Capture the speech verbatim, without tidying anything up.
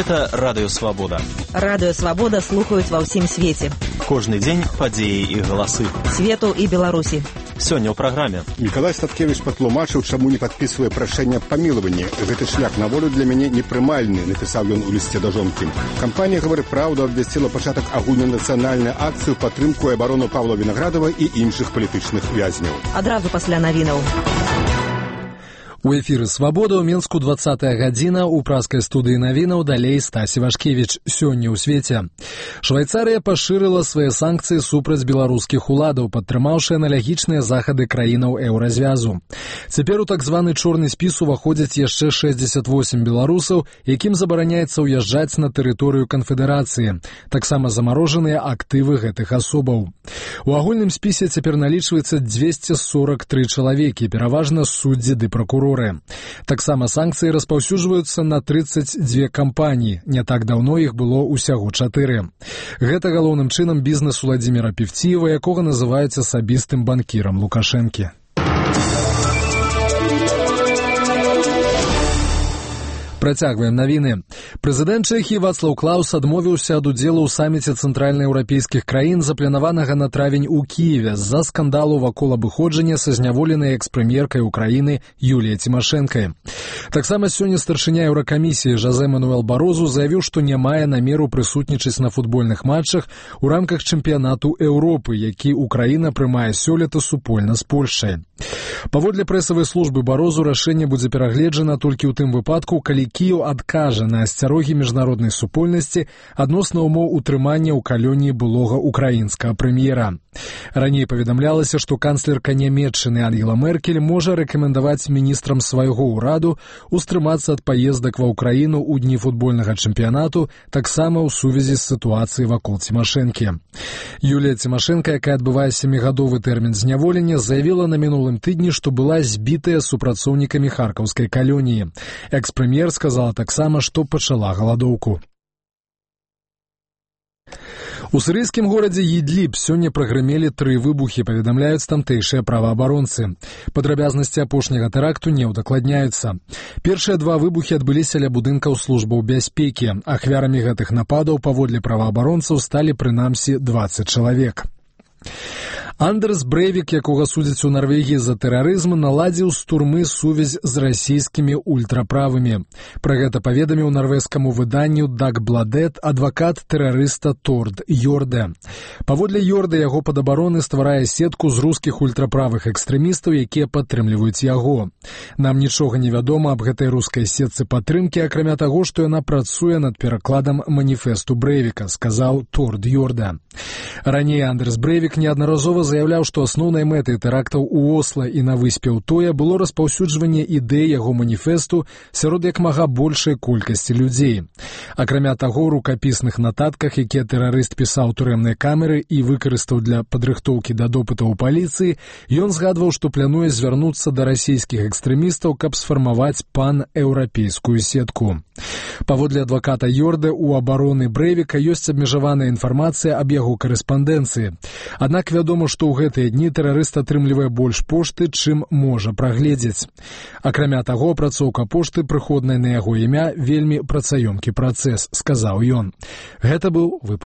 Гэта Радыё Свабода. Радыё Свабода слухаюць ва ўсім свеце. Кожны дзень падзеі і галасы. Свету і Беларусі. Сёння ў праграме. Мікалай Статкевіч патлумачыў, чаму не падпісвае прашэнне аб памілаванні. Гэты шлях на волю для мяне непрымальны, напісаў ён у лісце да жонкі. Кампанія «Гавары праўда» абвясціла пачатак агульнанацыянальнай акцыі ў падтрымку і абарону Павла Вінаградава і іншых палітычных вязняў. Адразу пасля навінаў. У эфіры «Свабода» ў Мінску двадцатая гадзіна, у праскай студыі навінаў далей Стась Івашкевіч. Сёння ў свеце. Швайцарыя пашырыла свае санкцыі супраць беларускіх уладаў, падтрымаўшы аналагічныя захады краінаў еўразвязу. Цяпер у так званы чорны спіс уваходзяць яшчэ шэсцьдзесят восем беларусаў, якім забараняецца ўязджаць на тэрыторыю канфедэрацыі. Таксама замарожаныя актывы гэтых асобаў. У агульным спісе цяпер налічваецца дзвесце сорак тры чалавекі, пераважна суддзі ды пракуроры. Таксама санкцыі распаўсюджваюцца на трыццаць дзве кампаніі. Не так даўно іх было ўсяго чатыры. Гэта галоўным чынам бізнес Уладзіміра Певціева, якога называюць асабістым банкірам Лукашэнкі. Працягваем навіны. Прэзідэнт Чэхіі Вацлаў Клаус адмовіўся ад удзелу ў саміце цэнтральнаеўрапейскіх краін, запланаванага на травень у Кіеве, з-за скандалу вакол абыходжання са зняволенай экс-прэм'еркай Украіны Юліяй Цімашэнкай. Таксама сёння старшыня Еўракамісіі Жозе Мануэл Барозу заявіў, што не мае намеру прысутнічаць на футбольных матчах у рамках чэмпіянату Еўропы, які Украіна прымае сёлета супольна з Польшчай. Паводле прэсавай службы Барозу рашэнне будзе перагледжана толькі ў тым выпадку, калі Кіеў адкажа на асцярогі міжнароднай супольнасці адносна ўмоў утрымання ў калоніі былога украінскага прэм'ера. Раней паведамлялася, што канцлерка Нямецчыны Ангела Меркель можа рэкамендаваць міністрам свайго ўраду устрымацца ад паездак ва ўкраіну ў дні футбольнага чэмпіянату, таксама ў сувязі з сітуацыяй вакол Цімашэнкі. Юлія Цімашэнка, якая адбывае сямігадовы тэрмін зняволення, заявіла на мінулым тыдні, што была збітая супрацоўнікамі харкаўскай калоніі. Экс-прэм'ер сказала таксама, што пачала галадоўку. У сірыйскім горадзе Ідліб сёння прагрымелі тры выбухі, паведамляюць тамтэйшыя праваабаронцы. Падрабязнасці апошняга тэракту не ўдакладняюцца. Першыя два выбухі адбыліся ля будынкаў службаў бяспекі. Ахвярамі гэтых нападаў паводле праваабаронцаў сталі прынамсі дваццаць чалавек. Андерс Брэйвік, якога судзяць у Нарвегіі за тэрарызм, наладзіў з турмы сувязь з расійскімі ультраправымі. Пра гэта паведаміў нарвежскаму выданню Дагбладет адвакат тэрарыста Торд Йорде. Паводле Йорде, яго падабароны стварае сетку з рускіх ультраправых экстрэмістаў, якія падтрымліваюць яго. Нам нічога не вядома аб гэтай рускай сетцы падтрымкі, акрамя таго, што яна працуе над перакладам маніфесту Брэйвіка, сказаў Торд Йорде. Раней Андерс Брэйвік неаднаразова заяўляў, што асноўнай мэтай тэрактаў у Осла і на выспе Утоя было распаўсюджванне ідэй яго маніфесту сярод як мага большай колькасці людзей. Акрамя таго, у рукапісных нататках, якія тэрарыст пісаў турэмнай камеры і выкарыстаў для падрыхтоўкі да допытаў у паліцыі, ён згадваў, што плануе звярнуцца да расійскіх экстрэмістаў, каб сфармаваць пан-еўрапейскую сетку. Паводле адваката Йорде, у абароны Брэйвіка ёсць абмежаваная інфармацыя аб яго карэспандэнцыі. Аднак вядома, што ў гэтыя дні тэрарыст атрымлівае больш пошты, чым можа прагледзець. Акрамя таго, апрацоўка пошты, прыходнай на яго імя, вельмі працаёмкі працэс, сказаў ён. Гэта быў выпуск.